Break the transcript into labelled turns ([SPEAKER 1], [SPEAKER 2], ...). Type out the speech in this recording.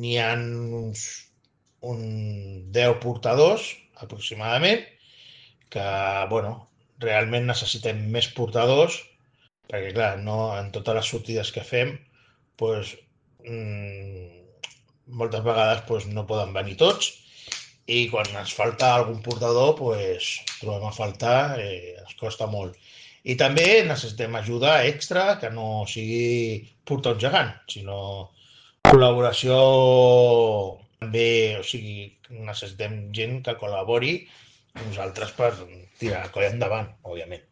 [SPEAKER 1] n'hi ha un 10 portadors, aproximadament, que, bueno, realment necessitem més portadors, perquè, clar, no, en totes les sortides que fem, doncs, moltes vegades doncs, no poden venir tots, i quan ens falta algun portador, doncs, trobem a faltar, ens costa molt. I també necessitem ajuda extra, que no sigui portar un gegant, sinó col·laboració també, o sigui, necessitem gent que col·labori amb nosaltres per tirar la colla endavant, òbviament.